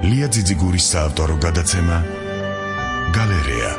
ლია ძიძიგურის საავტორო გადაცემა გალერეა.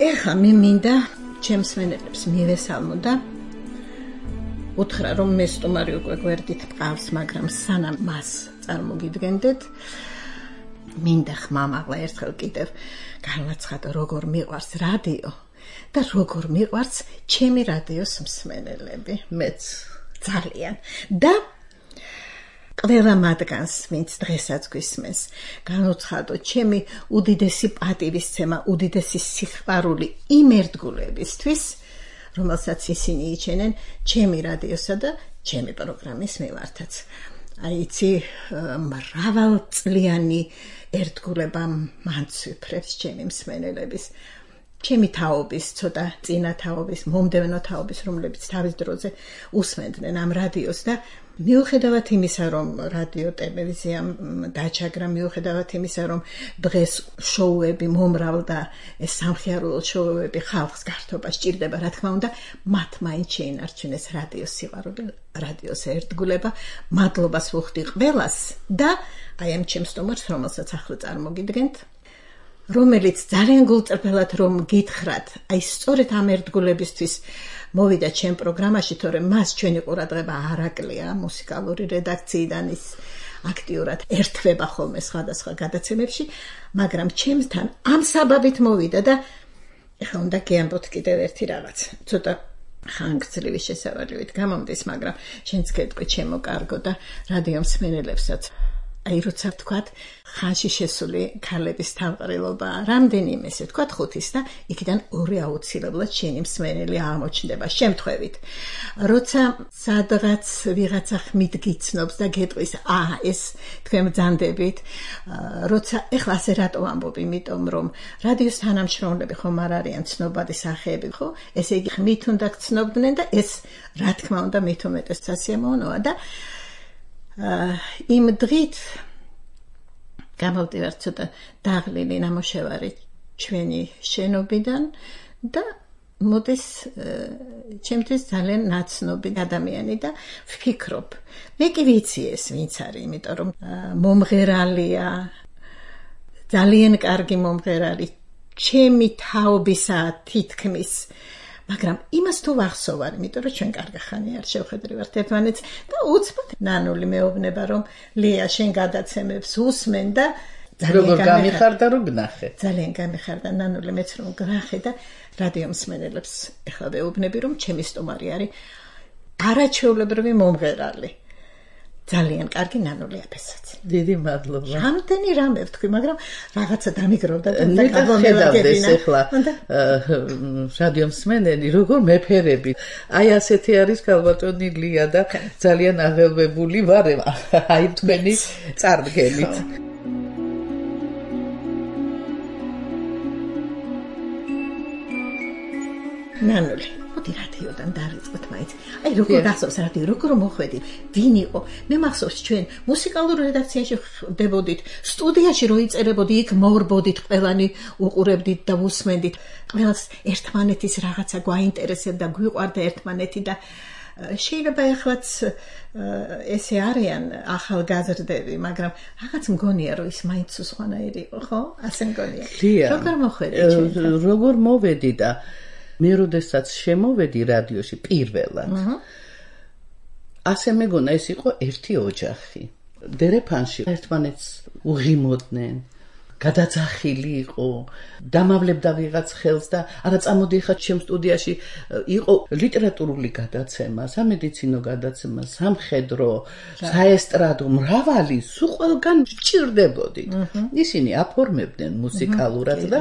ეხა მე მინდა ჩემს მენელებს მივესალმო და უთხრა რომ მე სტუმარი უკვე გვერდით მყავს, მაგრამ სანამ მას წარმოგიდგენდეთ, მინდა ხმამაღლა ერთხელ კიდევ განაცხადო როგორ მიყვარს რადიო და როგორ მიყვარს ჩემი რადიოს მსმენელები, მეც ძალიან და ყველა მათგანს, ვინც დღესაც გვისმენს, განუცხადო ჩემი უდიდესი პატივისცემა, უდიდესი სიყვარული იმ ერთგულებისთვის, რომელსაც ისინი იჩენენ ჩემი რადიოსა და ჩემი პროგრამის მიმართაც. აი იცი, მრავალწლიანი ერთგულება მანცვიფრებს ჩემი მსმენელების, ჩემი თაობის, ცოტა წინა თაობის, მომდევნო თაობის, რომლებიც თავის დროზე უსმენდნენ ამ რადიოს და მიუხედავად იმისა, რომ რადიო ტელევიზიამ დაჩაგრა, მიუხედავად იმისა, რომ დღეს შოუები მომრავლდა, ეს სამხიარულო შოუები ხალხს გართობა სჭირდება, რა თქმა უნდა, მათ მაინც შეინარჩუნეს რადიოს სიყვარული, რადიოს ერთგულება, მადლობას ვუხდი ყველას და აი ამ ჩემს სტუმარს, რომელსაც ახლა წარმოგიდგენთ, რომელიც ძალიან გულწრფელად რომ გითხრათ, აი სწორედ ამ ერთგულებისთვის მოვიდა ჩემ პროგრამაში, თორემ მას ჩვენი ყურადღება არ აკლია მუსიკალური რედაქციიდან, ის აქტიურად ერთვება ხოლმე სხვადასხვა გადაცემებში, მაგრამ ჩემთან ამ საბაბით მოვიდა და ეხლა უნდა გეამბოთ კიდევ ერთი რაღაც. ცოტა ხანგრძლივი შესავალივით გამომდის, მაგრამ შენც გეტყვი ჩემო კარგო და რადიო მსმენელებსაც. აი როცა ვთქვათ, ხანში შესული ქალების თავყრილობა, რამდენიმე ესე ვთქვათ 5-ის და იქიდან 2 აუცილებლად შენი მსმენელი აღმოჩნდება შემთხვევით. როცა სადღაც ვიღაცა ხმით გიცნობს და გეტყვის, ეს თქვენ ბრძანდებით, როცა ეხლა ასე რატო ამბობ, იმიტომ რომ რადიოს თანამშრომლები ხომ არ არიან ცნობადი სახეები, ხო? ესე იგი ხმით უნდა გცნობდნენ და ეს რა თქმა უნდა მით უმეტეს სასიამოვნოა და იმ დღით გამოვდივარ ცოტა დაღლილი ნამოშევარი ჩვენი შენობიდან და მოდის ჩემთვის ძალიან ნაცნობი ადამიანი და ვფიქრობ, მე კი ვიცი ეს ვინც არის, იმიტომ რომ მომღერალია, ძალიან კარგი მომღერალი, ჩემი თაობისა თითქმის, მაგრამ იმას თუ ვახსოვარ, იმიტომ რომ ჩვენ კარგი ხანი არ შევხედრივართ ერთმანეთს და უცბად ნანული მეუბნება რომ ლია შენ გადაცემებს უსმენ და როგორ გამიხარდა რომ გნახე. ძალიან გამიხარდა ნანული მეც რომ გნახე და რადიო მსმენელებს ეხლა ვეუბნები რომ ჩემი სტუმარი არის არაჩვეულებრივი მომღერალი. ძალიან კარგი ნანული აფესაც. დიდი მადლობა. რამდენი რამე ვთქვი, მაგრამ რაღაცა დამიგროვდა და გადავხედავდეს ახლა რადიო მსმენელი როგორ მეფერები. აი ასეთი არის ქალბატონი ლია და ძალიან აღელვებული ვარ აი თქვენი წარდგენით. ნანული მოდი რადიოდან დავიწყოთ მაინც. აი როგორ გახსოვს რადიო, როგორ მოხვედი, ვინ იყო? მე მახსოვს ჩვენ მუსიკალურ რედაქციაში ხდებოდით, სტუდიაში რო იწერებოდი, იქ მოვრბოდით, ყველანი უყურებდით და უსმენდით. ყველას ერთმანეთის რაღაცა გვაინტერესებდა, გვიყვარდა ერთმანეთი და შეიძლება ეხლაც ესე არიან ახალგაზრდები, მაგრამ რაღაც მგონია რომ ის მაინც სხვანაირი იყო, ხო? ასე მგონია. როგორ მოხვედი ჩვენ? როგორ მოვედი და მე როდესაც შემოვედი რადიოში პირველად, ასე მეგონა ეს იყო ერთი ოჯახი. დერეფანში ერთმანეთს უღიმოდნენ, გადაძახილი იყო, დამავლებდა ვიღაც ხელს და არა წამოდი ხა ჩემ სტუდიაში იყო ლიტერატურული გადაცემა, სამედიცინო გადაცემა, სამხედრო, საესტრადო, მრავალი, სულ ყველგან ჭირდებოდით. ისინი აფორმებდნენ მუსიკალურად და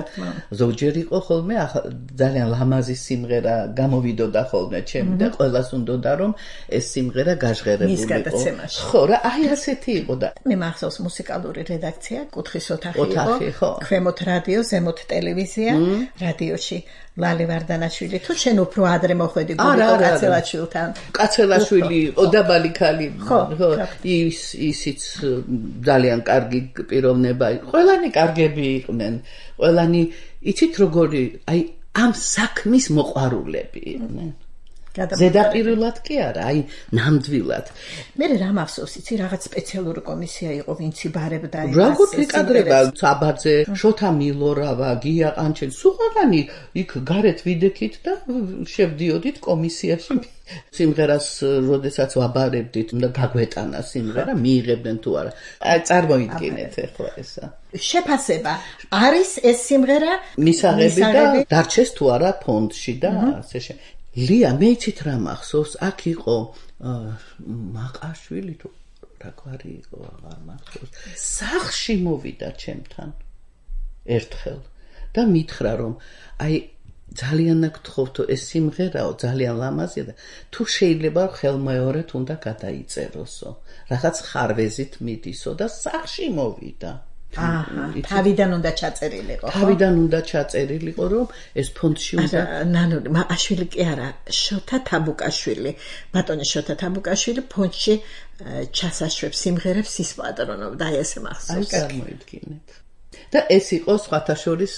ზოგჯერ იყო ხოლმე ძალიან ლამაზი სიმღერა გამოვიდოდა ხოლმე ჩემი და ყველას უნდოდა რომ ეს სიმღერა გაჟღერებული იყო. ხო, რა აი ასეთი იყო და მე მახსოვს მუსიკალური რედაქცია, კუთხის ოთახი იყო. ქვემოთ რადიო, ზემოთ ტელევიზია, რადიოში ლალი ვარდანაშვილი თუ შენ უფრო ადრე მოხვედი გულიკო კაცელაშვილთან. კაცელაშვილი იყო დაბალი ქალი. ხო, ისიც ძალიან კარგი პიროვნება იყო. ყველანი კარგები იყვნენ. ყველანი იცით როგორი, აი ამ საქმის მოყვარულები იყვნენ. ზედაპირულად კი არა, აი ნამდვილად. მე რა მახსოვს, იცი რაღაც სპეციალური კომისია იყო, ვინც იბარებდა იმას. როგორ იკადრება საბაძე, შოთა მილორავა, გია ყანჩელი, სულ ყველანი იქ გარეთ ვიდექით და შევდიოდით კომისიაში. სიმღერას როდესაც ვაბარებდით და გაგვეტანა სიმღერა, მიიღებდნენ თუ არა. აი წარმოიდგინეთ ახლა ესა. შეფასება არის ეს სიმღერა მისაღები და დარჩეს თუ არა ფონდში და ასე შემდეგ. ლია, მე იცით რა მახსოვს, აქ იყო მაყაშვილი თუ რა გვარი იყო, აღარ მახსოვს. სახლში მოვიდა ჩემთან ერთხელ და მითხრა რომ აი ძალიან გთხოვთო ეს სიმღერაო, ძალიან ლამაზია და თუ შეიძლება ხელმეორედ უნდა გადაიწეროსო. რაღაც ხარვეზით მიდისო და სახლში მოვიდა. თავიდან უნდა ჩაწერილიყო. თავიდან უნდა ჩაწერილიყო, რომ ეს ფონდში უნდა. ნანული, მააშვილი კი არა, შოთა თაბუკაშვილი. ბატონი შოთა თაბუკაშვილი ფონდში ჩასაშვებს სიმღერებს ის პატრონობდა, აი ესე მახსოვს. აი წარმოიდგინეთ. და ეს იყო სხვათა შორის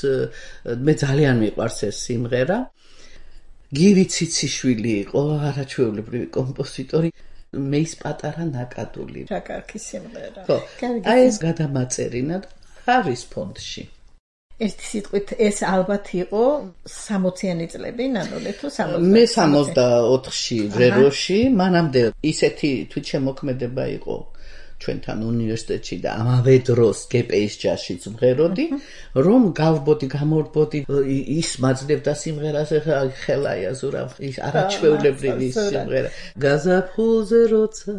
მე ძალიან მიყვარს ეს სიმღერა. გივი ციციშვილი იყო, არაჩვეულებრივი კომპოზიტორი. მე ის პატარა ნაკადული. რა კარგი სიმღერა. ხო. აი ეს გადამაწერინა არის ფონდში. ერთი სიტყვით ეს ალბათ იყო 60-იანი წლები, ნანოლე თუ 60. მე 64-ში რეროში, მანამდე ისეთი თვითშემოქმედება იყო ჩვენთან უნივერსიტეტში და ამავე დროს გპ-ის ჯაშიც მღეროდი, რომ გავბოდი, გამორბოდი, ის მაძლევდა სიმღერას, ხელაია ზურავ, ის არაჩვეულებრივი სიმღერა. გაზაფხულზე როცა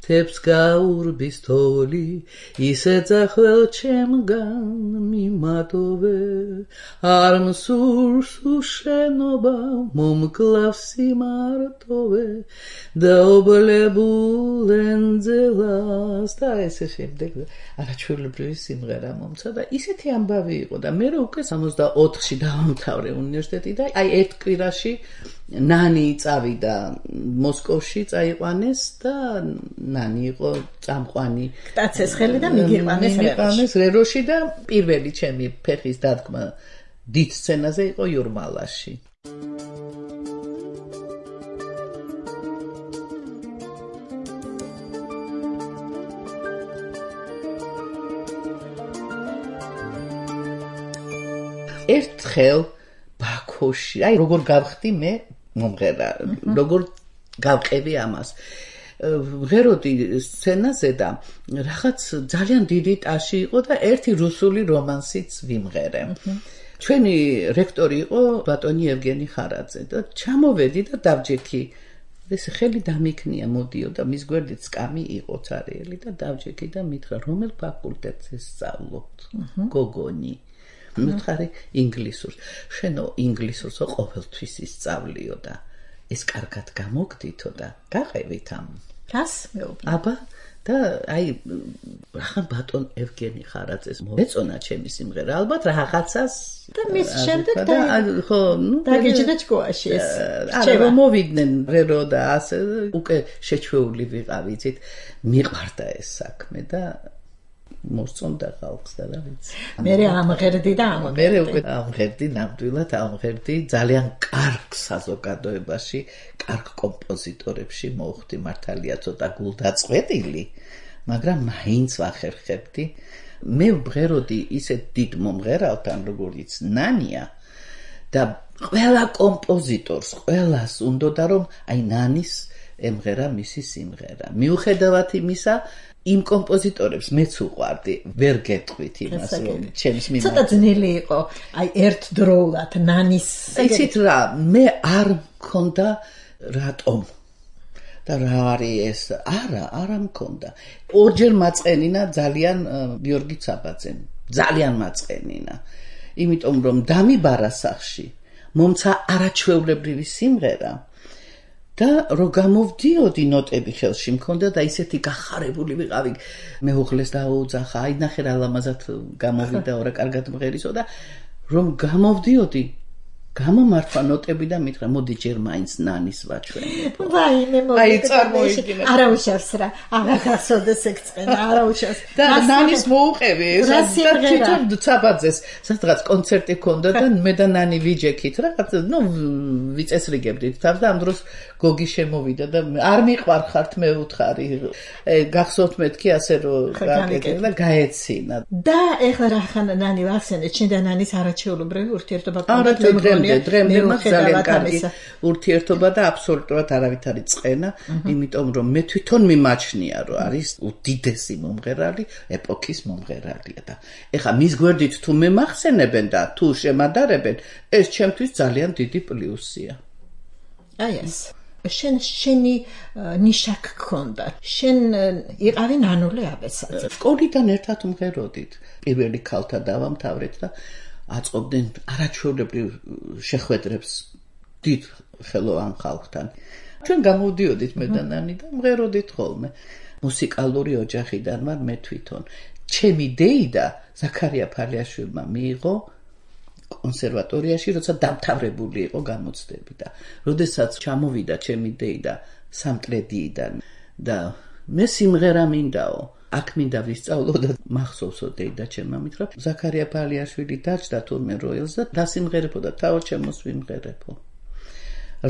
თებს გაურბის თოვლი, ისე ძახვალ ჩემგან მიმატოვე, არ მსურს უშენობა, მომკლავს სიმარტოვე, დაობლებულ ენძელას და ესე შემდეგ. არაჩვეულებრივი სიმღერა მომცა და ისეთი ამბავი იყო და მე უკვე 64-ში დავამთავრე უნივერსიტეტი და აი ერთ კვირაში ნანი წავიდა მოსკოვში წაიყვანეს და ნანი იყო წამყვანი კტაცეს ხელი და მიგიყვანეს რეროში და პირველი ჩემი ფეხის დადგმა დიდ სცენაზე იყო იურმალაში. ერთხელ ბაქოში, აი როგორ გავხდი მე მომღერა, როგორ გავყევი ამას. ღეროდი სცენაზე და რაღაც ძალიან დიდი ტაში იყო და ერთი რუსული რომანსიც ვიმღერე. ჩვენი რექტორი იყო ბატონი ევგენი ხარაძე და ჩამოვედი და დავჯექი. ეს ხელი დამიქნია, მოდიო და მის გვერდით სკამი იყო цаრიელი და დავჯექი და მითხრა რომელ ფაკულტეტზე სწავლობთ? გოგონი. მითხარი ინგლისურს. შენო ინგლისურსო ყოველთვის ისწავლიო და ეს კარგად გამოგდითო და გაყევით ამ. რას მეუბნე? აბა და აი რახან ბატონ ევგენი ხარაძეს მოეწონა ჩემი სიმღერა ალბათ რაღაცას და მის შემდეგ და ხო ნუ დაგეჭდა ჭკუაში ეს არა მოვიდნენ რერო და ასე უკვე შეჩვეული ვიყავით მიყვარდა ეს საქმე და მოსწონდა ხალხს და რა ვიცი. მე ამღერდი და მე უკვე ამღერდი ნამდვილად ამღერდი ძალიან კარგ საზოგადოებაში, კარგ კომპოზიტორებში მოვხდი მართალია ცოტა გულდაწყვეტილი, მაგრამ მაინც ვახერხებდი. მე ვღეროდი ისეთ დიდ მომღერალთან, როგორიც ნანია და ყველა კომპოზიტორს, ყველას უნდოდა რომ აი ნანის ემღერა მისი სიმღერა. მიუხედავად იმისა, იმ კომპოზიტორებს მეც უყვარდი, ვერ გეტყვით იმას, რომ ჩემს მიმართ. ცოტა ძნელი იყო, აი ერთდროულად ნანის. იცით რა, მე არ მქონდა რატომ და რა არის ეს? არა მქონდა. ორჯერ მაწყენინა ძალიან გიორგი ცაბაძემ, ძალიან მაწყენინა. იმიტომ რომ დამიბარა სახში, მომცა არაჩვეულებრივი სიმღერა და რო გამოვდიოდი ნოტები ხელში მქონდა და ისეთი გახარებული ვიყავი, მეუღლეს დაუძახა, აი ნახე რა ლამაზად გამოვიდა რა კარგად მღერისო და რომ გამოვდიოდი გამომართვა ნოტები და მითხრა მოდი ჯერ მაინც ნანის ვაჩვენებო. ვაიმე მოდი. აი წარმოიდგინე. არა უშავს რა. აღარ გასოდეს ეგ წენა, არა უშავს. და ნანის მოუყევი ეს და თვითონ ცაბაძეს სადღაც კონცერტი ქონდა და მე და ნანი ვიჯექით რაღაც ვიწესრიგებდით თავს და ამ დროს გოგი შემოვიდა და არ მიყვარხართ მე უთხარი. გახსოვთ მეთქი ასე რომ გააკეთე და გაეცინა. და ეხლა რა ხანა ნანი ვახსენეთ, შენ და ნანის არაჩვეულებრივი ურთიერთობა ქონდა. დრემდე მას ძალიან კარგი ურთიერთობა და აბსოლუტურად არავითარი წყენა, იმიტომ რომ მე თვითონ მიმაჩნია, რომ არის უდიდესი მომღერალი, ეპოქის მომღერალია და ეხა მის გვერდით თუ მემახსენებენ და თუ შემადარებენ, ეს ჩემთვის ძალიან დიდი პლუსია. აი ეს. შენი ნიშა გქონდა. შენ იყავი ნანული აბესაძე. სკოლიდან ერთად მღეროდით. პირველი ქალთა დავამთავრეთ და აწყობდნენ არაჩვეულებრივ შეხვედრებს დიდ ხელოვან ხალხთან. ჩვენ გამოვდიოდით მე და ნანი და მღეროდით ხოლმე. მუსიკალური ოჯახიდან ვარ მე თვითონ. ჩემი დეიდა ზაქარია ფალიაშვილმა მიიღო კონსერვატორიაში, როცა დამთავრებული იყო გამოცდები და როდესაც ჩამოვიდა ჩემი დეიდა სამტრედიიდან და მე სიმღერა მინდაო აქ მინდა ვისწავლო და მახსოვსო დეიდა ჩემმა მითხრა ზაქარია ფალიაშვილი დაჭდა თურმე როელს და დასიმღერებოდა თავად ჩემოს ვიმღერებო.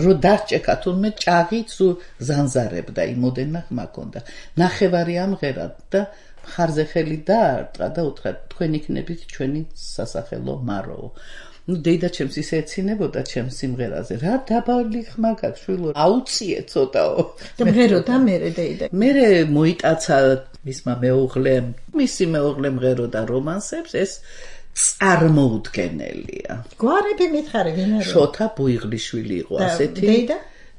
რო დაჭეკა თურმე ჭაღით სულ ზანზარებდა იმოდენა ხმა ქონდა. ნახევარი ამღერა და ხარზე ხელი დაარტყა და უთხრა თქვენ იქნებით ჩვენი სასახელო მაროო. დეიდა ჩემს ისე ეცინებოდა ჩემს სიმღერაზე. რა დაბალი ხმა გაქვს შვილო, აუციე ცოტაო. და მღეროდა მერე დეიდა. მერე მოიტაცა მისმა მეუღლემ, მისი მეუღლე მღეროდა რომანსებს, ეს წარმოუდგენელია. გვარები მითხარი ვინ არის? შოთა ბუიღლიშვილი იყო ასეთი.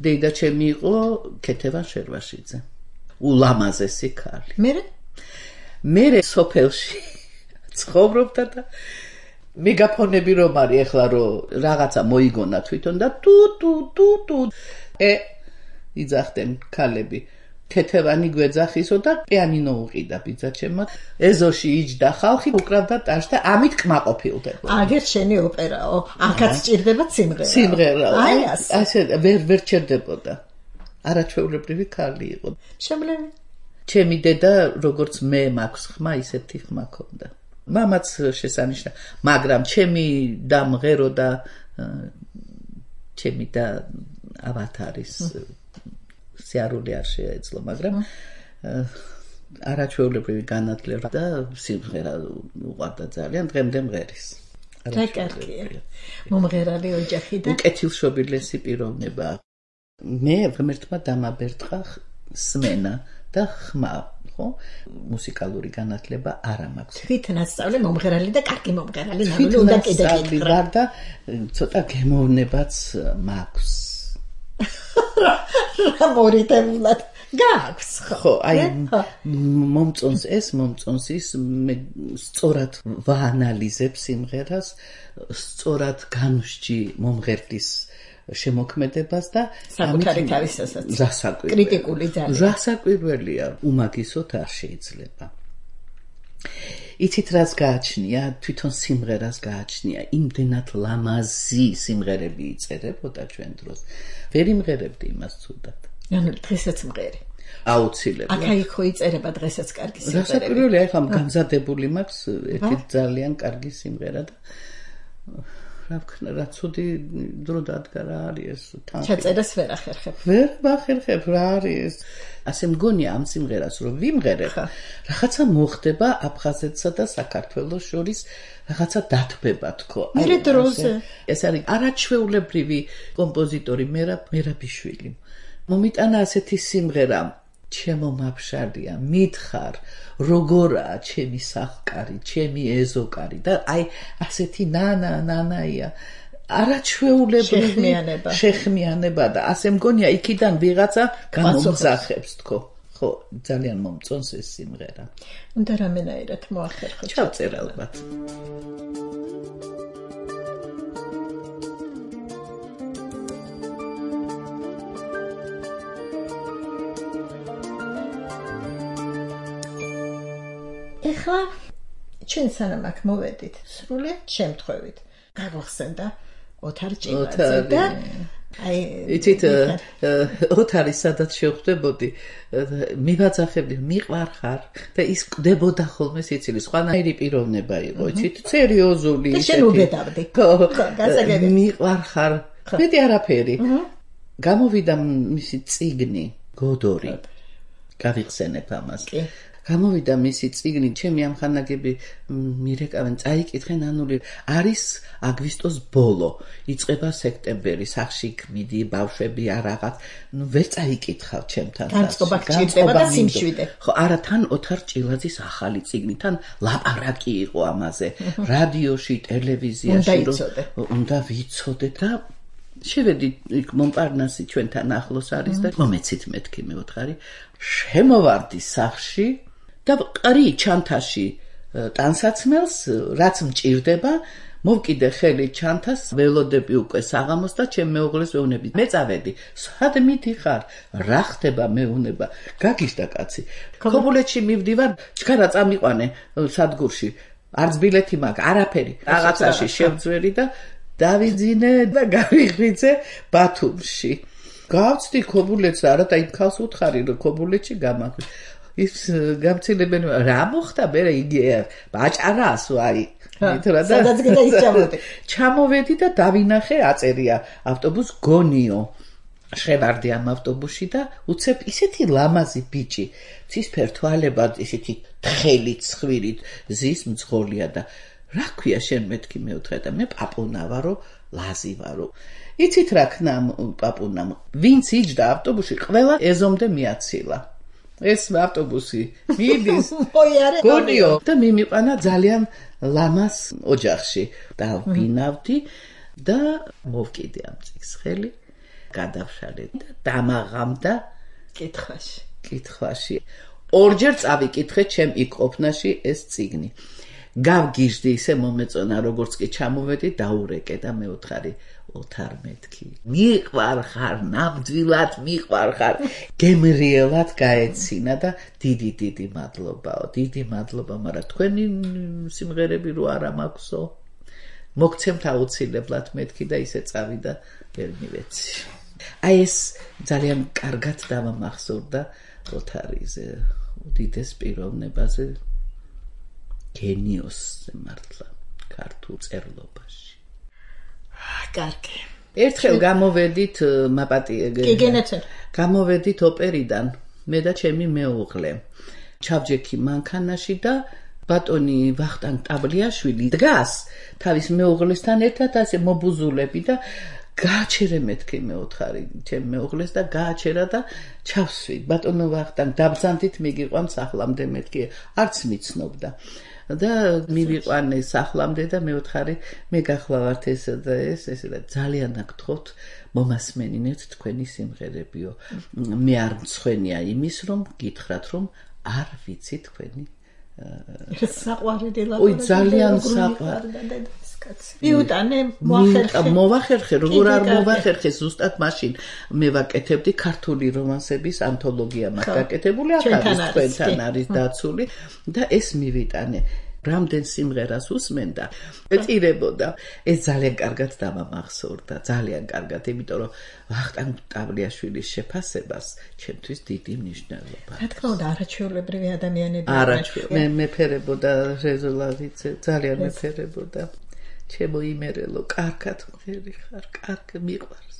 დეიდა ჩემი იყო ქეთევან შერვაშიძე. ულამაზესი ქალი. მერე სოფელში ცხოვრობდა და მეგაფონები რომ არის ეხლა რომ რაღაცა მოიგონა თვითონ და ტუ იძახდნენ ქალები ქეთევანი გვეძახისო და პიანინო უყიდა ბიძაჩემმა ეზოში იჯდა ხალხი უკრავდა ტაშ და ამით კმაყოფილდება. აგერ შენი ოპერაო, აქაც ჭირდება სიმღერა. აი ასე ვერ ჩერდებოდა. არაჩვეულებრივი ქალი იყო. შემლევი. ჩემი დედა როგორც მე მაქვს ხმა, ისეთი ხმა ქონდა. მამაც შესანიშნა, მაგრამ ჩემი და მღერო და ჩემი და ავათარის სიარული არ შეეძლო, მაგრამ არაჩვეულებრივი განათლება და სიმღერა უყვარდა ძალიან, დღემდე მღერის. რა კარგია. მომღერალი ოჯახიდან. უკეთილშობილესი პიროვნება. მე ღმერთმა დამაბერტყა სმენა და ხმა, ხო? მუსიკალური განათლება არ მაქვს. თვითნასწავლე მომღერალი და კარგი მომღერალი ნამდვილად უნდა კიდე გითხრა და ცოტა გემოვნებაც მაქვს. რა მორიტებულად გაქვს ხო, აი მომწონს ის მე სწორად ვაანალიზებ სიმღერას, სწორად განვსჯი მომღერლის შემოქმედებას და საკუთარი თავისასაც კრიტიკული ძალიან რასაკვირველია უმაგისოდ არ შეიძლება. იცით რას გააჩნია, თვითონ სიმღერას გააჩნია, იმდენად ლამაზი სიმღერები იწერებოდა ჩვენ დროს. ვერ იმღერებდი იმას ცუდად. ანუ დღესაც მღერი. აუცილებლად. აქა-იქ იწერება დღესაც კარგი სიმღერები. რასაკვირველია, ახლა გამზადებული მაქვს ერთი ძალიან კარგი სიმღერა და რა ვქნა, რა ცუდი დრო დადგა რა არის ეს თან. ჩაწერას ვერ ახერხებ. ვერ ვახერხებ რა არის ეს. ასე მგონია ამ სიმღერას რომ ვიმღერებ, რაღაცა მოხდება აფხაზეთსა და საქართველოს შორის რაღაცა დათბება თქო. მერე დროზე. ეს არის არაჩვეულებრივი კომპოზიტორი მერაბიშვილი. მომიტანა ასეთი სიმღერა ჩემო მაფშალია მითხარ როგორაა ჩემი სახკარი ჩემი ეზოკარი და აი ასეთი ნანაია არაჩვეულებრივი შეხმიანება და ასე მგონია იქიდან ვიღაცა გამომძახებს თქო ხო ძალიან მომწონს ეს სიმღერა უნდა რამენაირად მოახერხო ჩავწერ ალბათ ეხლა ჩვენ სანამ აქ მოვედით სრულიად შემთხვევით გაგვახსენდა ოთარ ჭილაძე და აი იცით ოთარი სადაც შევხვდებოდი მივაძახებდი მიყვარხარ და ის კვდებოდა ხოლმე სიცილი სხვანაირი პიროვნება იყო იცით სერიოზული და შენ უბედავდი გასაგები მიყვარხარ მეტი არაფერი გამოვიდა მისი წიგნი გოდორი გავიხსენებ ამას გამოვიდა მისი წიგნი ჩემი ამხანაგები მირეკავენ წაიკითხენ ანული არის აგვისტოს ბოლო იწყება სექტემბერი სახში გმიდი ბავშვები არაღაც ვერ წაიკითხავ ჩემთან განწყობა გჭირდება და სიმშვიდე ხო არა თან ოთარ ჭილაძის ახალი წიგნი თან ლაპარაკი იყო ამაზე რადიოში ტელევიზიაში უნდა ვიცოდე და შევედი იქ მომპარნასი ჩვენთან ახლოს არის და მომეცით მეთქი მეოთხარი შემოვარდი სახში და ყრი ჩანთაში ტანსაცმელს რაც მჭირდება მოვკიდე ხელი ჩანთას ველოდები უკვე საღამოს და ჩემ მეუღლეს ვეუბნები მე წავედი სად მიდიხარ რა ხდება მეუნება გაგიშდა კაცი ქობულეთში მივდივარ ჩქარა წამიყვანე სადგურში არც ბილეთი მაქვს არაფერი რაღაცაში შევძვერი და დავიძინე და გავიღვიძე ბათუმში გავწდი ქობულეთს არა და იმ ქალს უთხარი რომ ქობულეთში გამახვი ის გამცილებენ რა მოხდა მე იგი ბაჭარას ვაი სადაც კიდე ის ჩამოვედი და დავინახე აწერია ავტობუს გონიო შევარდი ამ ავტობუსში და უცებ ისეთი ლამაზი ბიჭი ცისფერ თვალებად ისეთი თხელი ცხვირით ზის მძღოლია და რა ქვია შენ მეთქი მეუთხე და მე პაპუნა ვარო ლაზი ვარო იცით რა ქნა პაპუნამ ვინც იჯდა ავტობუსში ყველა ეზომდე მიაცილა ეს ავტობუსი მიდის გონიო და მიმიყანა ძალიან ლამას ოჯახში და ვინავდი და მოვკიდე ამ წიგს ხელი გადავშალე და დამაღამდა კითხვაში ორჯერ წავიკითხე ჩემ იქ ყოფნაში ეს წიგნი გავგიჟდი ისე მომეწონა როგორც კი ჩამოვედი დაურეკე და მეოთხარი ოთარ მეთქი მიყვარხარ ნამდვილად მიყვარხარ გემრიელად გაეცინა და დიდი მადლობა მაგრამ თქვენი სიმღერები რო არა მაქვსო მოგცემთ აუცილებლად მეთქი და ისე წავიდა ვერ მივეცი აი ეს ძალიან კარგად დამამახსოვრდა ოთარიზე უდიდეს პიროვნებაზე გენიოსზე მართლა ქართულ წერლობაში კარგი ერთხელ გამოვედით გამოვედით ოპერიდან მე და ჩემი მეუღლე ჩავჯექი მანქანაში და ბატონი ვახტანგ ტაბლიაშვილი დგას თავის მეუღლესთან ერთად ასე მობუზულები და გააჩერე მეთქი მეოთხარი ჩემ მეუღლეს და გააჩერა და ჩავსვი ბატონო ვახტანგ დაბრძანდით მიგიყვან სახლამდე მეთქი არც მიცნობდა და მივიყვანე სახლამდე და მეოთხარი მე გახლავართ ესა და ეს და ძალიან გთხოვთ მომასმენინეთ თქვენი სიმღერებიო მე არ მცხვენია იმის რომ გითხრათ რომ არ ვიცი თქვენი საყვარელი ой ძალიან საყვარელი მიუტანე მოვახერხე როგორ არ მოვახერხე ზუსტად მაშინ მე ვაკეთებდი ქართული რომანსების ანთოლოგია მაქვს გაკეთებული ახალი თქვენთან არის დაცული და ეს მივიტანე რამდენ სიმღერას უსმენდა ეწირებოდა ეს ძალიან კარგად დამამახსოვრდა ძალიან კარგად იმიტომ რომ ვახტანგ ტაბლიაშვილის შეფასებას ჩემთვის დიდი მნიშვნელობა რა თქმა უნდა არაჩვეულებრივი ადამიანები მე მეფერებოდა რეზოლავიცე ძალიან მეფერებოდა ჩემო იმერელო კარგად ხერი ხარ კარგ მიყვარს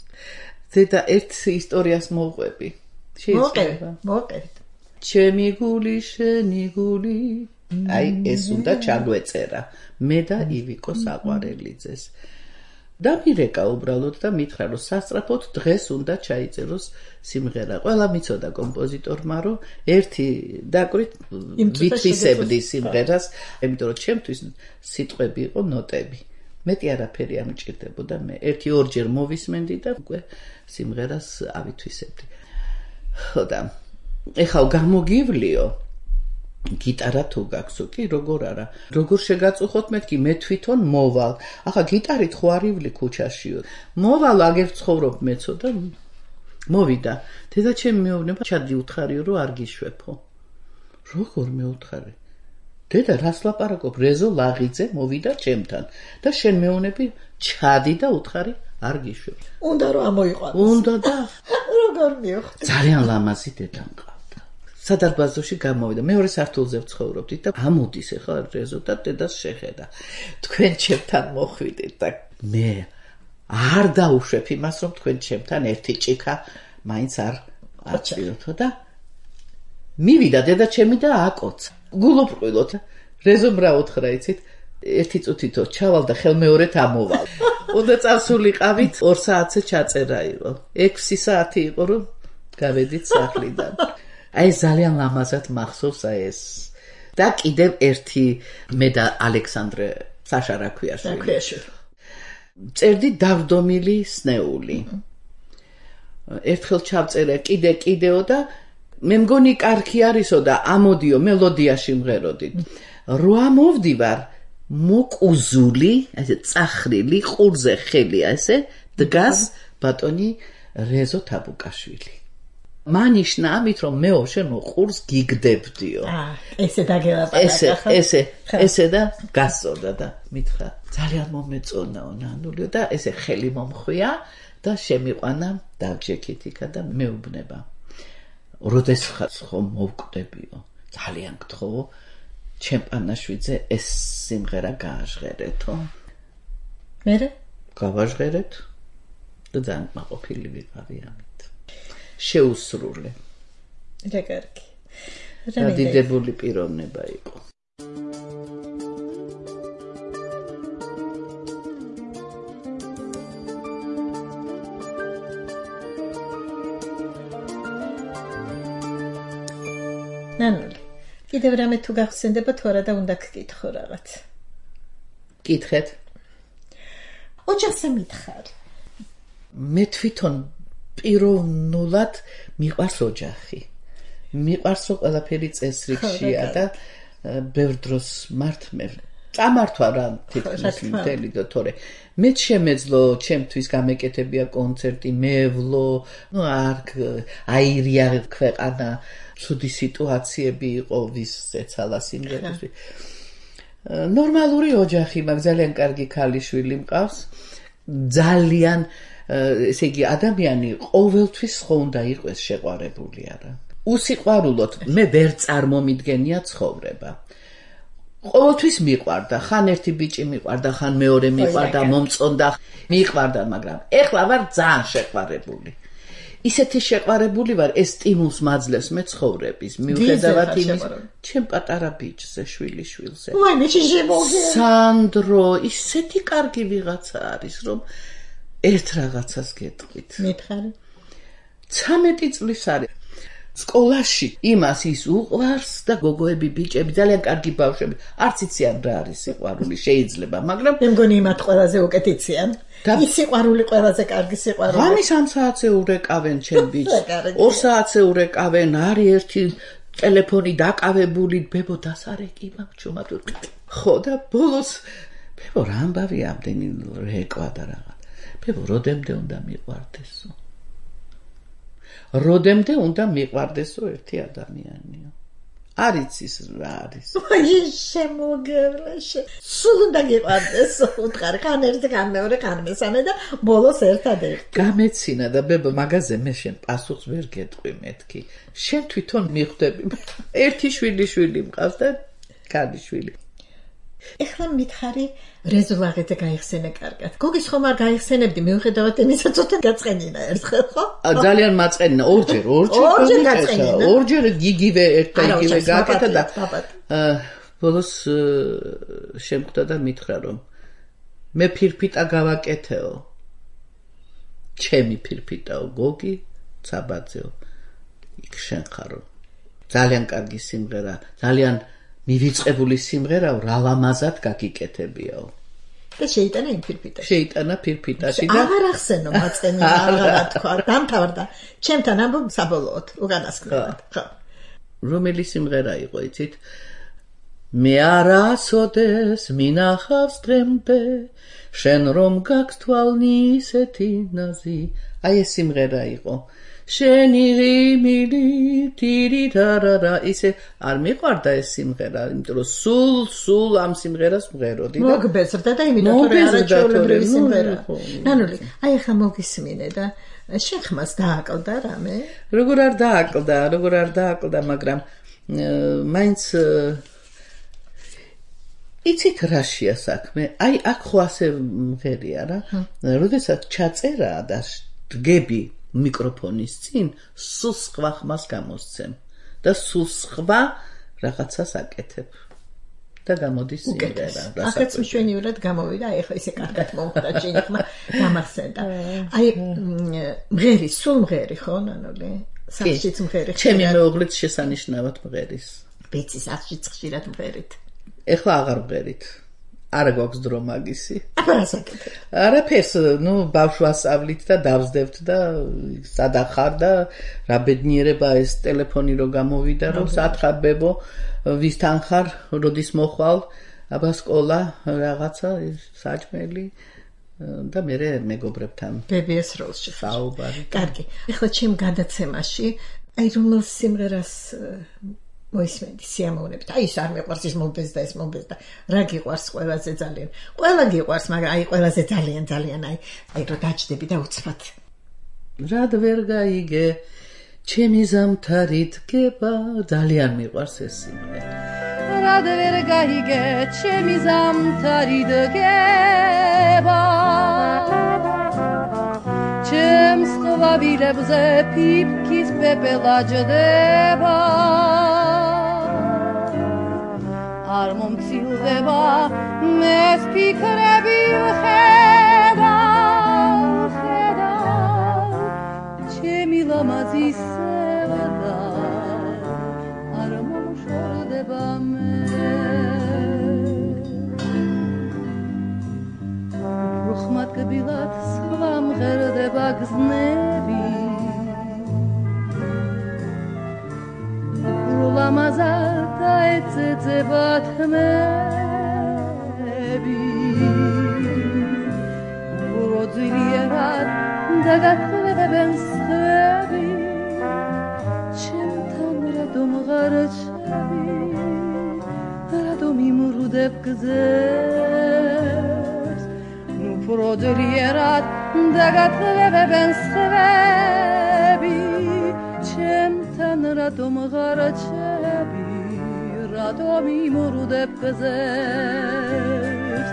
ზედა ერთ ისტორიას მოვყვები შეიძლება მოვყვებით ჩემი გული შენი გული აი ეს უნდა ჩაგვეწერა მე და ივიკო საყვარელიძეს და მირეკა უბრალოდ და მითხრა რომ სასწრაფოდ დღეს უნდა ჩაიწეროს სიმღერა. ყველა მიცოდა კომპოზიტორმა რომ ერთი დაკვირით ვითვისებდი სიმღერას, იმიტომ რომ ჩემთვის სიტყვები იყო ნოტები. მეტი არაფერი არ მჭირდებოდა მე. ერთი-ორჯერ მოვისმენდი და უკვე სიმღერას ავითვისებდი. ხო და ეხლა გამოგივლიო გიტარა თუ გაქვსო კი როგორ არა როგორ შეგაწუხოთ მეთქი მე თვითონ მოვალ ახლა გიტარით ხო არ ივლი ქუჩაშიო მოვალ აგერ ცხოვრობ მეცო და მოვიდა დედაჩემი მეუბნება ჩადი უთხარიო რომ არ გიშვეფო როგორ მეუთხარი დედა რას ლაპარაკობ რეზო ლაღიძე მოვიდა ჩემთან და შენ მეუნები ჩადი და უთხარი არ გიშვებ უნდა რომ ამოიყვანოს უნდა და როგორ მივხვდი ძალიან ლამაზი დედა მყავდა სადარბაზოში გამოვიდა მეორე სართულზე ვცხოვრობდით და ამოდის ახლა რეზო და დედას შეხედა თქვენ ჩემთან მოხვიდეთ და მე არ დაუშვებ იმას რომ თქვენ ჩემთან ერთი ჭიქა მაინც არ აწვიოთო და მივიდა დედა ჩემი და აკოცა გულობყვილოთ რეზომ რა უთხრა იცით ერთი წუთითო ჩავალ და ხელმეორედ ამოვალ უნდა წავსულიყავით 2 საათზე ჩაწერა იყო 6 საათი იყო რომ გავედით სახლიდან აი ძალიან ლამაზად მახსოვს აი ეს და კიდევ ერთი მე და ალექსანდრე საშა რაქვიაშვილი წერდი დავდომილი სნეული ერთხელ ჩავწერე კიდეო და მე მგონი კარგი არისო და ამოდიო მელოდიაში მღეროდით რო ამოვდივარ მოკუზული ესე წახრილი ყურზე ხელი ესე დგას ბატონი რეზო თაბუკაშვილი მანიშნა ამით რომ მეო შენ ყურს გიგდებდიო ესე დაგელაპარაკა ესე და გასწორდა და მითხრა ძალიან მომეწონაო ნანულიო და ესე ხელი მომხვია და შემიყვანა დავჯექით იქა და მეუბნება როდესაც ხომ მოვკვდებიო ძალიან გთხოვო ჩემპანაშვიძე ეს სიმღერა გააჟღერეთო მერე გავაჟღერეთ და ძალიან მაყოფილი ვიყავი ამით შეუსრულე რა კარგი დადიდებული პიროვნება იყო ნანული კიდევ რამე თუ გახსენდება თუ არა და უნდა გკითხო რაღაც კითხეთ ოჯახზე მითხარ მე თვითონ პიროვნულად მიყვარს ოჯახი მიყვარს რომ ყველაფერი წესრიგშია და ბევრ დროს მართმე წამართვა რა თითქმის მთელი და თორე მე შემეძლო ჩემთვის გამეკეთებია კონცერტი მევლო ნუ არ აირია ქვეყანა ცუდი სიტუაციები იყო ვის ეცალა სიმღერას ნორმალური ოჯახი მაქვს ძალიან კარგი ქალიშვილი მყავს ძალიან ესე იგი ადამიანი ყოველთვის ხო უნდა იყოს შეყვარებული არა უსიყვარულოდ მე ვერ წარმომიდგენია ცხოვრება ყოველთვის მიყვარდა ხან ერთი ბიჭი მიყვარდა ხან მეორე მიყვარდა მომწონდა მიყვარდა მაგრამ ეხლა ვარ ძალიან შეყვარებული ისეთი შეყვარებული ვარ ეს სტიმულს მაძლევს მე ცხოვრების მიუხედავად იმის ჩემ პატარა ბიჭზე შვილიშვილზე ვაი მე შემოგე სანდრო ისეთი კარგი ვიღაცა არის რომ ერთ რაღაცას გეტყვით მითხარი 13 წლის არის სკოლაში იმას ის უყვარს და გოგოები ბიჭები ძალიან კარგი ბავშვები არც იციან რა არის სიყვარული შეიძლება მაგრამ მე მგონი იმათ ყველაზე უკეთ იციან ის სიყვარული ყველაზე კარგი სიყვარული ღამის 3 საათზე ურეკავენ ჩემ ბიჭს 2 საათზე урეკავენ არის ერთი ტელეფონი დაკავებული ბებო დასარეკი მაგჩუმა ხო და ბოლოს ბებო რა ამბავი ამდენი რეკვა და რაღაც ბებო როდემდე უნდა მიყვარდესო როდემდე უნდა მიყვარდესო ერთი ადამიანიო არის ის რა არის აი შემოგევლაშე სულ უნდა გიყვარდესო უთხარი ხან ერთი ხან მეორე ხან მესამე და ბოლოს ერთადერთი გამეცინა და ბებო მაგაზე მე შენ პასუხს ვერ გეტყვი მეთქი შენ თვითონ მიხვდები ერთი შვილი მყავს და ქალიშვილი ეხლა მითხარი რეზო ლაღიძე გაიხსენე კარგად გოგის ხომ არ გაიხსენებდი მიუხედავად იმისა ცოტა გაწყენინა ერთხელ ხო ძალიან მაწყენინა ორჯერ გიგივე ერთ და იგივე გაკეთა და ბოლოს შემკვდა და მითხრა რომ მე ფირფიტა გავაკეთეო. ჩემი ფირფიტაო, გოგი, ცაბაძეო. იქ შენ ხარო. ძალიან კარგი სიმღერა, ძალიან მივიწყებული სიმღერაო, რა ლამაზად გაგიკეთებიაო. და შეიტანა იმ ფირფიტაში. შეიტანა ფირფიტაში და აღარ ახსენო მაწენი, აღარ თქვა, დამთავრდა. ჩემთან ამბობ საბოლოოდ, უკანასკნელად. ხო. რომელი სიმღერა იყო, იცით? მე არასოდეს მინახავს დღემდე, შენ რომ გაქვს თვალნი ისეთი ნაზი. აი ეს სიმღერა იყო. შენი ღიმილი ტირიტარარა ისე არ მიყვარდა ეს სიმღერა, იმიტომ რომ სულ ამ სიმღერას მღეროდი და მოგბეზრდა და იმიტომ რომ არაჩვეულებრივი სიმღერა. ნანული, აი ახლა მოგისმინე და შენ ხმას დააკლდა რამე? როგორ არ დააკლდა, მაგრამ მაინც იცით რაშია საქმე? აი აქ ხო ასე მღერია რა. როდესაც ჩაწერა და დგები მიკროფონის წინ, სულ სხვა ხმას გამოსცემ და სულ სხვა რაღაცას აკეთებ და გამოდის სიმღერა. ახაც მშვენივრად გამოვიდა, აი ახლა ისე კარგად მომხდა შენი ხმა, გამახსენდა. აი მღერი, სულ მღერი ხო, ნანული? სახშიც მღერი. ჩემი მეუღლეც შესანიშნავად მღერის. ვიცი, სახშიც ხშირად მღერით. ეხლა აღარ მღერით. არა გვაქვს დრო მაგისი. აბასაკეთე. არაფერს, ბავშვს ვასწავლით და დავსდებთ და სადახარ და რა ბედნიერება ეს ტელეფონი რო გამოვიდა, რომ სათხარ ბებო, ვისთან ხარ, როდის მოხვალ, აბა სკოლა, რაღაცა, საჭმელი და მე მეგობრებთან. ბებიეს როლში. საუბარი. კარგი. ეხლა ჩემ გადაცემაში, აი რომელ სიმღერას მოისმენდი სიამოვნებით. აი ის არ მეყვარს, ის მომბეზდა, ეს მომბეზდა. რა გიყვარს ყველაზე ძალიან? ყველა გიყვარს, მაგრამ აი ყველაზე ძალიან აი რო დაჭდები და უცბად. რად ვერ გაიგე, ჩემი ზამთარი დგება, ძალიან მიყვარს ეს სიმღერა. რად ვერ გაიგე, ჩემი ზამთარი დგება. ჩემს ყვავილებზე ფიფქის პეპელა ჯდება. არ მომცილდება მეს ფიქრები ვხედავ ჩემი ლამაზი სევდა არ მომშორდება მე უხმად კბილად სხვა მღერდება გზნები ლამაზად დაეცეცება თმები უძილიერად დაგათლებებენ სხვები ჩემთან რადომ ღარჩები რადომ იმრუდებ გზებს უძილიერად დაგათლებებენ სხვები ჩემთან რადომ ღარჩები რადომ იმრუდებ გზებს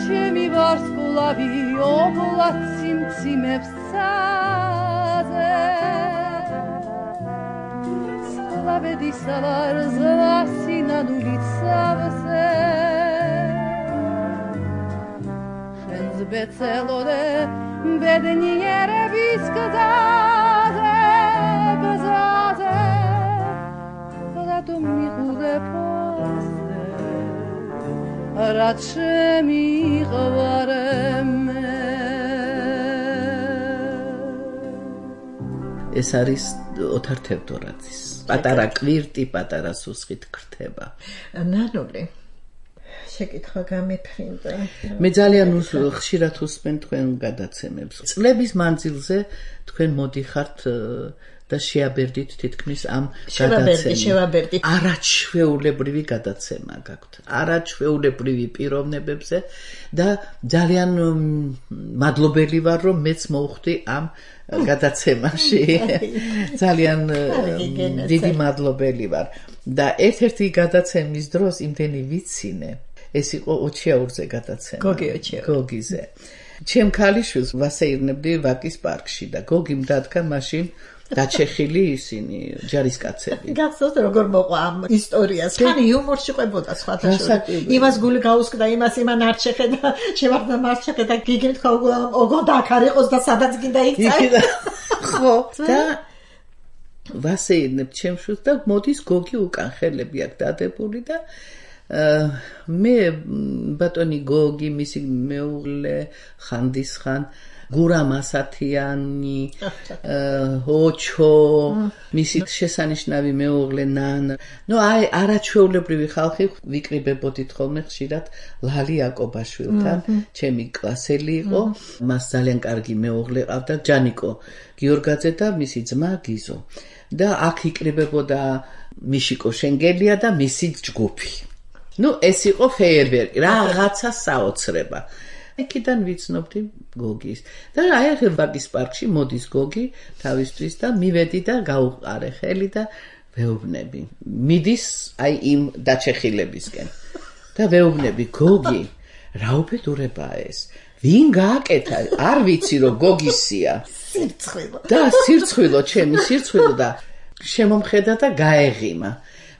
ჩემი ვარსკვლავი ობლად სიმციმებს ცაზე სლავედი სალარ ზლასინანული ცავზე შენს ბეცელოდე ბედნიერების გზაზე რადომ მიყურებ ასე რაც შემიყვარე მე ეს არის ოთარ თევდორაძის პატარა კვირტი პატარა სუსხით ქრთება ნანული შეკითხვა გამიფრინდა მე ძალიან ხშირად უსმენ თქვენ გადაცემებს წლების მანძილზე თქვენ მოდიხართ და შეაბერდით თითქმის ამ შევაბერდით არაჩვეულებრივი გადაცემა გაქვთ არაჩვეულებრივი პიროვნებებზე და ძალიან მადლობელი ვარ რომ მეც მოვხვდი ამ გადაცემაში ძალიან დიდი მადლობელი ვარ და ერთ-ერთი გადაცემის დროს იმდენი ვიცინე ეს იყო ოჩიაურზე გადაცემა გოგიზე ჩემ ქალიშვილს ვასეირნებდი ვაკის პარკში და გოგიმ დადგა მაშინ დაჩეხილი ისინი ჯარისკაცები. გახსოვს როგორ მოყვა ამ ისტორიას. თან იუმორში ყვებოდა სხვათა შორის. იმას გული გაუსკდა, იმას იმან არ შეხედა, შევარდა მას შეხედა, გიგიმ თქვა ოღონდ აქ არ იყოს და სადაც გინდა იქ წაი. ხო, და ვასეირნებ ჩემშუს და მოდის გოგი უკან ხელები აქ დადებული და მე ბატონი გოგი მისი მეუღლე ხანდისხან გურამ ასათიანი ოჩო მისი შესანიშნავი მეუღლე ნანა ნუ აი არაჩვეულებრივი ხალხი ვიკრიბებოდით ხოლმე ხშირად ლალი აკობაშვილთან ჩემი კლასელი იყო მას ძალიან კარგი მეუღლე ყავდა ჯანიკო გიორგაძე და მისი ძმა გიზო და აქ იკრიბებოდა მიშიკო შენგელია და მისი ჯგუფი ნუ ეს იყო ფეიერვერკი რაღაცა საოცრება იქიდან ვიცნობდი გოგის და აი ახლა ბაკის პარკში მოდის გოგი თავისთვის და მივედი და გავუყარე ხელი და ვეუბნები მიდის აი იმ დაჩეხილებისკენ და ვეუბნები გოგი რა უბედურებაა ეს ვინ გააკეთა არ ვიცი რომ გოგისია სირცხვილო და სირცხვილო ჩემი სირცხვილო და შემომხედა და გაეღიმა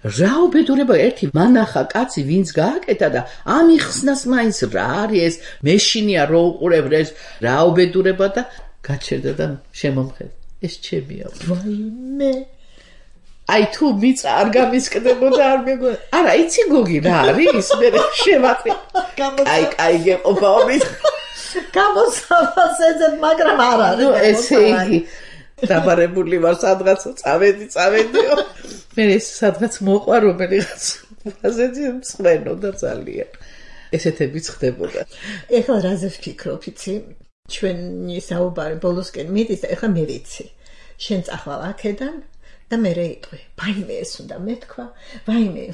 რა უბედურება ერთი მანახა კაცი ვინც გააკეთა და ამიხსნას მაინც რა არის ეს მეშინია რო უყურებ ეს რა უბედურება და გაჩერდა და შემომხედა ეს ჩემია ვაიმე აი თუ მიწა არ გამისკდებოდა არ მეგონა არა იცი გოგი რა არის მე შევატრი აი გეყოფავით გამოსავასეზე მაგრამ არ არის ნუ ესე იგი დაბარებული ვარ სადღაც წავედიო მე ეს სადღაც მოყვა რომელიღაც ფაზეზე მსხვენოდა ძალიან ესეთები ხდებოდა ეხლა რაზე ვფიქრობ იცი ჩვენი საუბარი ბოლოსკენ მიდის და ეხლა მე ვიცი შენ წახვალ აქედან და მე რეიტყვი ვაიმე ეს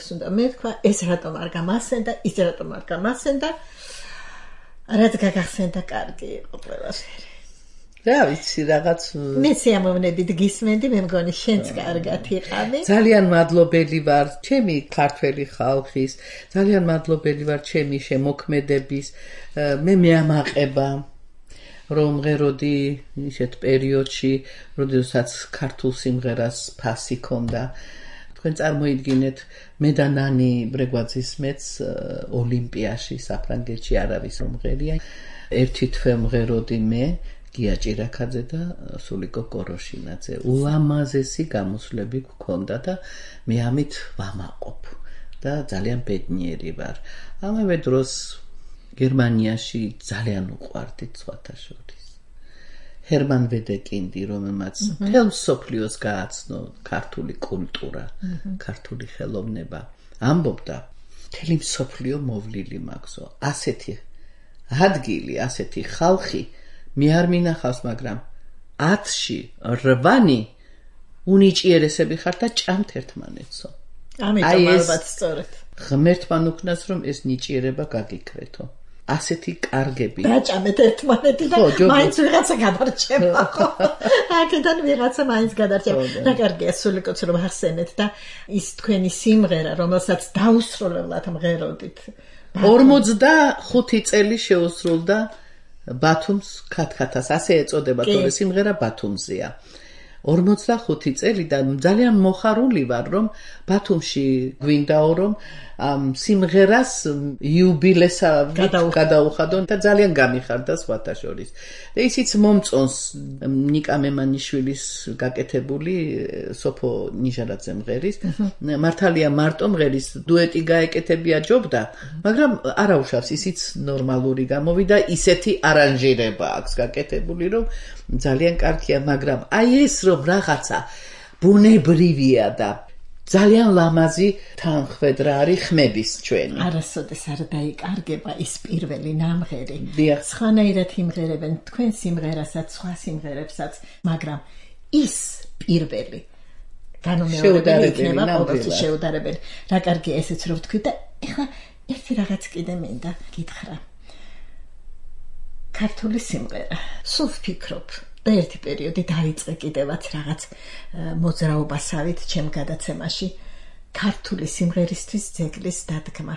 უნდა მეთქვა ეს რატომ არ გამასცენდა ის რატომ არ გამასცენდა რაც გაგახსენდა კარგი იყო ყველაფერი რა ვიცი რაღაც მე სიამოვნებით გისმენდი მე მგონი შენც კარგად იყავი ძალიან მადლობელი ვარ ჩემი ქართველი ხალხის ძალიან მადლობელი ვარ ჩემი შემოქმედების მე მეამაყება რომ ღეროდი ისეთ პერიოდში როდესაც ქართულ სიმღერას ფასი ქონდა თქვენ წარმოიდგინეთ მე და ნანი ბრეგვაძის მეც ოლიმპიაში საფრანგეთში არავის მომღერია ერთი თვე მღეროდი მე გია ჭირაქაძე და სულიკო კოროშინაძე ულამაზესი გამოსვლები გქონდა და მე ამით ვამაყობ და ძალიან ბედნიერი ვარ ამავე დროს გერმანიაში ძალიან უყვარდით სხვათა შორის ჰერმან ვედეკინდი რომელმაც მთელ მსოფლიოს გააცნო ქართული კულტურა ქართული ხელოვნება ამბობდა მთელი მსოფლიო მოვლილი მაქვსო ასეთი ადგილი ასეთი ხალხი მე არ მინახავს მაგრამ 10-ში 8 უნიჭიერესები ხარ და ჭამთ ერთმანეთსო ამიტომ ალბათ სწორად ღმერთმა უკნას რომ ეს ნიჭიერება გაგიქრეთო ასეთი კარგები დაჭამეთ ერთმანეთი და მაინც ვიღაცა გადარჩება ხო აქედან ვიღაცა მაინც გადარჩება რა კარგია სულიკოც რომ ახსენეთ და ის თქვენი სიმღერა რომელსაც დაუსრულებლად მღეროდით 45 წელი შეუსრულდა ბათუმს ქათქათას ასე ეწოდება თორე სიმღერა ბათუმზეა 45 წელი და ძალიან მოხარული ვარ რომ ბათუმში გვინდაო რომ სიმღერას იუბილესა გადაუხადონ და ძალიან გამიხარდა სხვათა შორის და ისიც მომწონს ნიკა მემანიშვილის გაკეთებული სოფო ნიჟარაძე მღერის მართალია მარტო მღერის დუეტი გაეკეთებია ჯობდა მაგრამ არაუშავს ისიც ნორმალური გამოვიდა ისეთი არანჟირება აქვს გაკეთებული რომ ძალიან კარგია მაგრამ აი ეს რომ რაღაცა ბუნებრივია და ძალიან ლამაზი თანხwebdriver არის ხმების ჩვენი არასოდეს არ დაიკარგება ის პირველი ნამღერი სხვანაირად იმღერებენ თქვენ სიმღერასაც სხვა სიმღერებსაც მაგრამ ის პირველი განუმეორებელი იქნება ყოველთვის შეუდარებელი რა კარგია ესეც რომ ვთქვი და ეხლა ერთი რაღაც კიდე მინდა გითხრა ქართული სიმღერა სულ ვფიქრობ და ერთი პერიოდი დაიწყე კიდევაც რაღაც მოძრაობასავით ჩემ გადაცემაში ქართული სიმღერისთვის ძეგლის დადგმა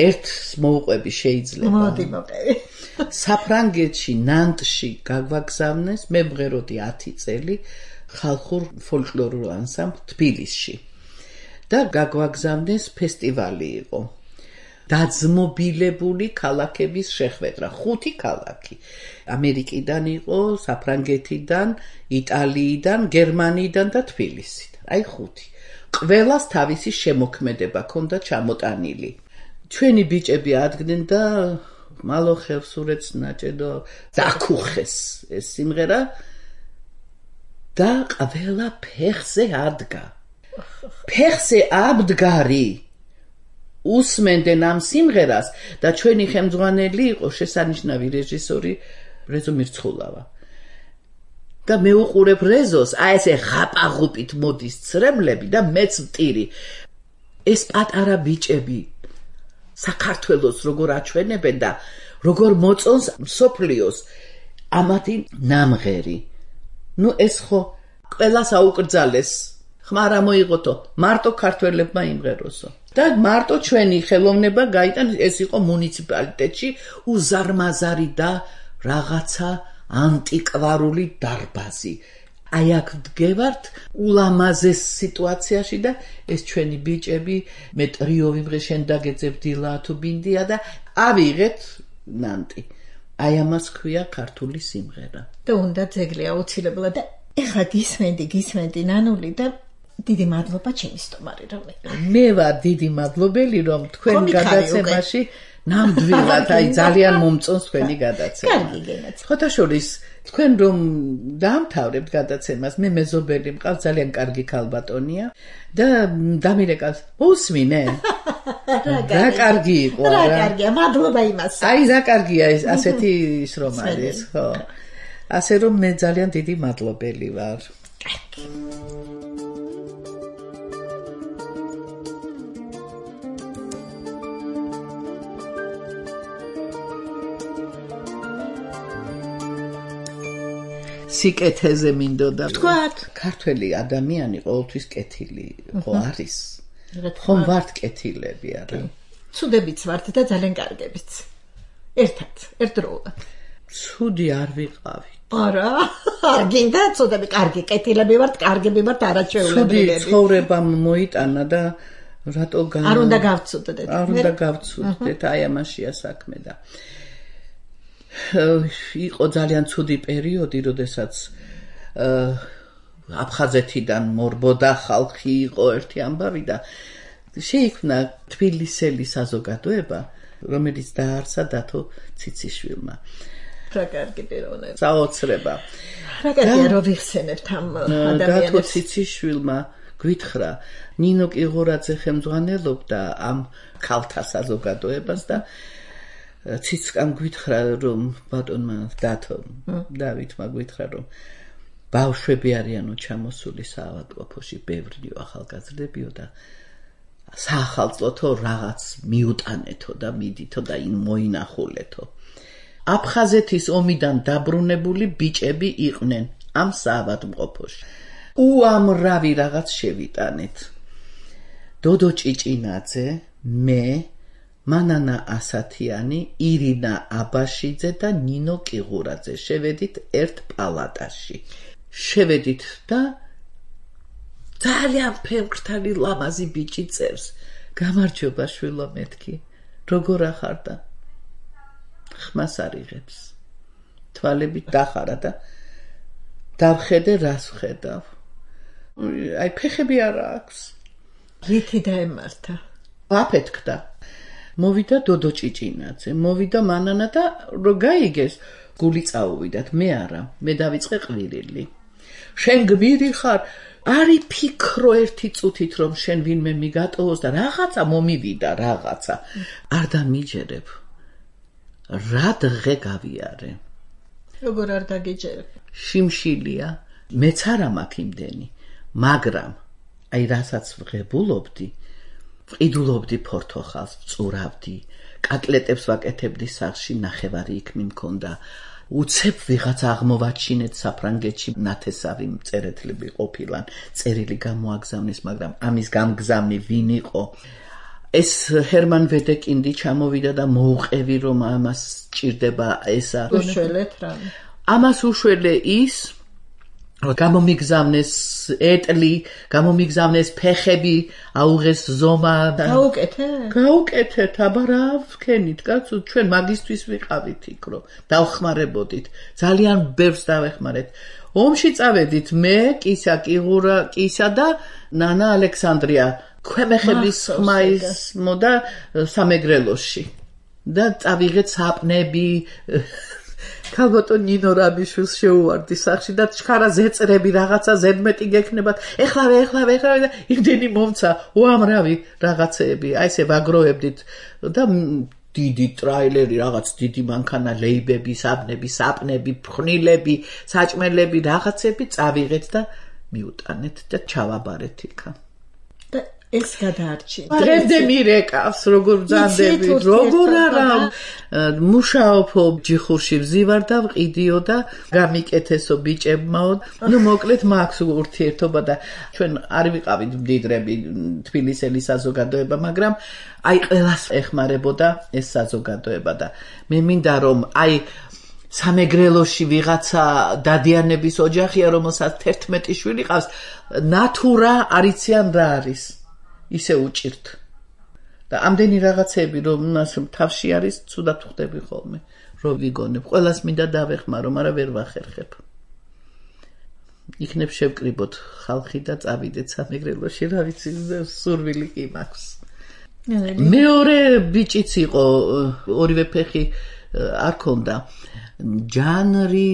ერთს მოუყვები შეიძლება მოდი მოყევი საფრანგეთში ნანტში გაგვაგზავნეს მე მღეროდი 10 წელი ხალხურ ფოლკლორულ ანსამბლ თბილისში და გაგვაგზავნეს ფესტივალი იყო. დაძმობილებული ქალაქების შეხვედრა, 5 ქალაქი. ამერიკიდან იყო, საფრანგეთიდან, იტალიიდან, გერმანიიდან და თბილისიდან. აი 5. ყველას თავისი შემოქმედება ჰქონდა ჩამოტანილი. ჩვენი ბიჭები ადგნენ და მალოხევს ურეც ნაჭედო დაკუხეს ეს სიმღერა და ყველა ფეხზე ადგა. ფეხზე აბდგარი უსმენდნენ ამ სიმღერას და ჩვენი ხელმძღვანელი იყო შესანიშნავი რეჟისორი რეზო მირცხულავა. და მე უყურებ რეზოს, აი ესე ღაპაღუპით მოდის ცრემლები და მეც ვტირი. ეს პატარა ბიჭები საქართველოს როგორ აჩვენებენ და როგორ მოწონს მსოფლიოს ამათი ნამღერი. ნუ ეს ხო ყველას აუკრძალეს. ხმარა მოიღოთო, მარტო ქართველებმა იმღეროსო. და მარტო ჩვენი ხელოვნება გაიტან, ეს იყო მუნიციპალიტეტში უზარმაზარი და რაღაცა ანტიკვარული დარბაზი. აი აქ ვდგევართ ულამაზეს სიტუაციაში და ეს ჩვენი ბიჭები მე ტრიო ვიმღე შენ დაგეძებ დილა თუ ბინდია და ავიღეთ ნანტი. აი ამას ქვია ქართული სიმღერა. და უნდა ძეგლი აუცილებლად და ეხლა გისმენდი ნანული და დიდი მადლობა ჩემი სტუმარი რომ მე ვარ დიდი მადლობელი რომ თქვენ გადაცემაში ნამდვილად აი ძალიან მომწონს თქვენი გადაცემა. კარგი გენაც. ხოთაშორის თქვენ რომ დაამთავრებთ გადაცემას, მე მეზობელი მყავს ძალიან კარგი ქალბატონია და დამირეკავს უსმინე. რა კარგი იყო რა. რა კარგია, მადლობა იმას. აი რა კარგია ეს ასეთი ის რომ არის, ხო. ასე რომ მე ძალიან დიდი მადლობელი ვარ. კარგი. სიკეთეზე მინდოდა თქვათ ქართველი ადამიანი ყოველთვის კეთილი ხო არის ხომ ვართ კეთილები არა ცუდებიც ვართ და ძალიან კარგებიც ერთად ერთდროულად ცუდი არ ვიყავი არა გინდა ცუდები კარგი კეთილები ვართ კარგები ვართ არაჩვეულებრივები ცუდი ცხოვრებამ მოიტანა და რატო არ უნდა გავცუდდეთ არ უნდა გავცუდდეთ აი ამაშია საქმე და იყო ძალიან ცუდი პერიოდი, როდესაც აფხაზეთიდან მორბოდა ხალხი იყო ერთი ამბავი და შეიქმნა თბილისელი საზოგადოება, რომელიც დაარსა დათო ციციშვილმა. რა კარგი პიროვნება. საოცრება. რა კარგია რომ ვიხსენებთ ამ ადამიანებს. დათო ციციშვილმა გვითხრა, ნინო კიღურაძე ხელმძღვანელობდა ამ ქალთა საზოგადოებას და ციცკამ გვითხრა რომ ბატონმა დათომ დავითმა გვითხრა რომ ბავშვები არიანო ჩამოსული საავადმყოფოში ბევრიო ახალგაზრდებიო და საახალწლოთო რაღაც მიუტანეთო და მიდითო და იმ მოინახულეთო აფხაზეთის ომიდან დაბრუნებული ბიჭები იყვნენ ამ საავადმყოფოში უამრავი რაღაც შევიტანეთ დოდო ჭიჭინაძე მე მანანა ასათიანი, ირინა აბაშიძე და ნინო კიღურაძე შევედით ერთ პალატაში. შევედით და ძალიან ფერმკრთალი ლამაზი ბიჭი წერს. გამარჯობა შვილო მეთქი. როგორ ახარ და ხმას არიღებს. თვალებით დახარა და დავხედე რას ვხედავ. აი ფეხები არ აქვს. რითი დაემართა? აფეთქდა. მოვიდა დოდო ჭიჭინაძე, მოვიდა მანანა და რო გაიგეს, გული წაუვიდათ, მე არა, მე დავიწყე ყვირილი. შენ გმირი ხარ, არი ფიქრო ერთი წუთით რომ შენ ვინმე მიგატოვოს და რაღაცა მომივიდა რაღაცა. არ დამიჯერებ. რა დღე გავიარე. როგორ არ დაგიჯერებ? შიმშილია, მეც არა მაქვს იმდენი, მაგრამ აი რასაც ვღებულობდი ვყიდულობდი ფორთოხალს, ვწურავდი, კატლეტებს ვაკეთებდი სახლში, ნახევარი იქ მიმქონდა. უცებ ვიღაც აღმოვაჩინეთ საფრანგეთში ნათესავი წერეთლები ყოფილან, წერილი გამოაგზავნეს, მაგრამ ამის გამგზავნი ვინ იყო? ეს ჰერმან ვედეკინდი ჩამოვიდა და მოუყევი რომ ამას ჭირდება ესა. უშველეთ რა. ამას უშველე ის გამომიგზავნეს ეტლი, გამომიგზავნეს ფეხები, აუღეს ზომა. გაუკეთეთ, აბა რა ვქენით, კაცო, ჩვენ მაგისთვის ვიყავით იქ, რომ დავხმარებოდით. ძალიან ბევრს დავეხმარეთ. ომში წავედით მე, კისა, კიღურა, კისა და ნანა ალექსანდრია. ქვემეხების ხმა ისმოდა სამეგრელოში. და წავიღეთ საპნები. ქალბატონ ნინო რაბიშვილს შეუვარდი სახში და ჩხარა ზეწრები რაღაცა ზედმეტი გექნებათ. ეხლავე და იმდენი მომცა უამრავი რაღაცეები. აი ესე ვაგროვებდით და დიდი ტრაილერი, რაღაც დიდი მანქანა, ლეიბები, საბნები, საპნები, ფხნილები, საჭმელები, რაღაცები წავიღეთ და მიუტანეთ და ჩავაბარეთ იქა. ეს გადაარჩინე. დღემდე მირეკავს, როგორ ბრძანდები, როგორ არა მუშაობო ჯიხურში ვზივარ და ვყიდიო და გამიკეთესო ბიჭებმაო. ნუ მოკლედ მაქვს ურთიერთობა და ჩვენ არ ვიყავით მდიდრები თბილისელი საზოგადოება, მაგრამ აი ყველას ეხმარებოდა ეს საზოგადოება და მე მინდა რომ აი სამეგრელოში ვიღაცა დადიანების ოჯახია, რომელსაც 11 შვილი ყავს, ნათურა არიციან რა არის. ისე უჭირთ. და ამდენი რაღაცები რომ თავში არის, ცუდად ხვდები ხოლმე, რომ ვიგონებ. ყველას მინდა დავეხმარო, მაგრამ ვერ ვახერხებ. იქნებ შევკრიბოთ ხალხი და წავიდეთ სამეგრელოში, რა ვიცი, სურვილი კი მაქვს. მეორე ბიჭიც იყო, ორივე ფეხი არ ქონდა. ჯანრი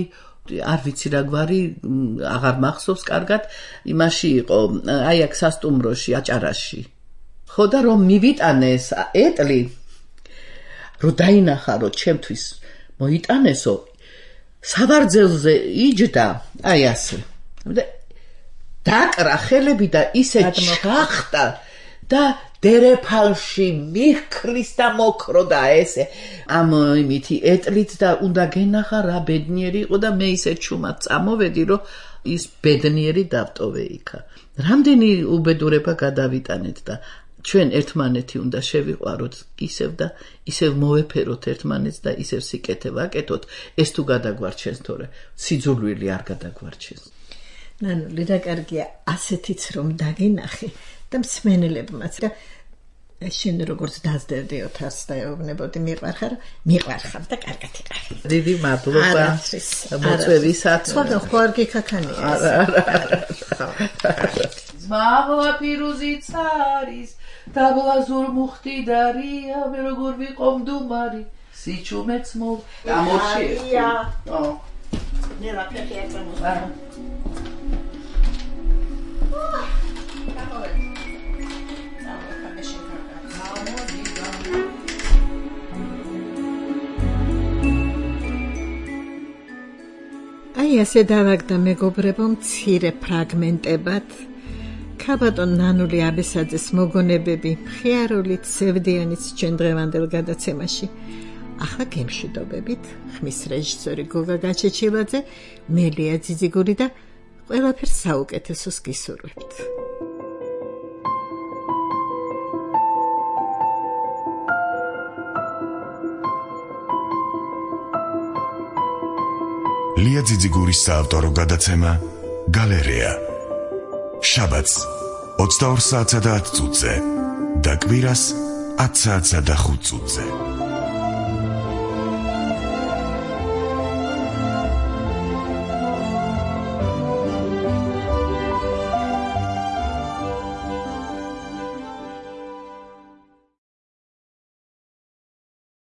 არ ვიცი რა გვარი, აღარ მახსოვს კარგად, იმაში იყო, აი აქ სასტუმროში, აჭარაში. ხო და რომ მივიტანეს ეტლი, რომ დაინახარო ჩემთვის, მოიტანესო, საბარძელზე იჯდა, აი ასე. დაკრა ხელები და ისე ჩახტა და დერეფალში მიქრის და მოკროდა ესე. ამ იმითი ეტლით და უნდა გენახა რა ბედნიერი იყო და მე ისე ჩუმად წამოვედი, რომ ის ბედნიერი დავტოვე იქა. რამდენი უბედურება გადავიტანეთ და ჩვენ ერთმანეთი უნდა შევიყვაროთ ისევ და ისევ მოვეფეროთ ერთმანეთს და ისევ სიკეთე ვაკეთოთ. ეს თუ გადაგვარჩენს, თორე სიძულვილი არ გადაგვარჩენს. ნანული და კარგია ასეთიც რომ დაგინახე და მსმენელებმაც და შენ როგორც დაძდევდი ოთარს და ეუბნებოდი მიყვარხარ და კარგად იყავი. დიდი მადლობა მოწვევისათვის. სხვა ხო არ გიქაქანია. ზმაღლა პირუზიც არის, დაბლაზურ მუხტიდარია, მე როგორ ვიყო მდუმარი, სიჩუმეც მოვ. ამორჩია. ნერა ფეხი აკრამოსა. აი ასე დავაგდა მეგობრებო მცირე ფრაგმენტებად ქალბატონ ნანული აბესაძის მოგონებები მხიარულით სევდიანიც ჩვენ დღევანდელ გადაცემაში. ახლა გემშვიდობებით ხმის რეჟისორი გოგა გაჩეჩილაძე, მელია ძიძიგური და ყველაფერს საუკეთესოს გისურვებთ. ლია ძიძიგურის საავტორო გადაცემა გალერეა. შაბათს 22 საათსა და 10 წუთზე და კვირას 10 საათსა და 5 წუთზე.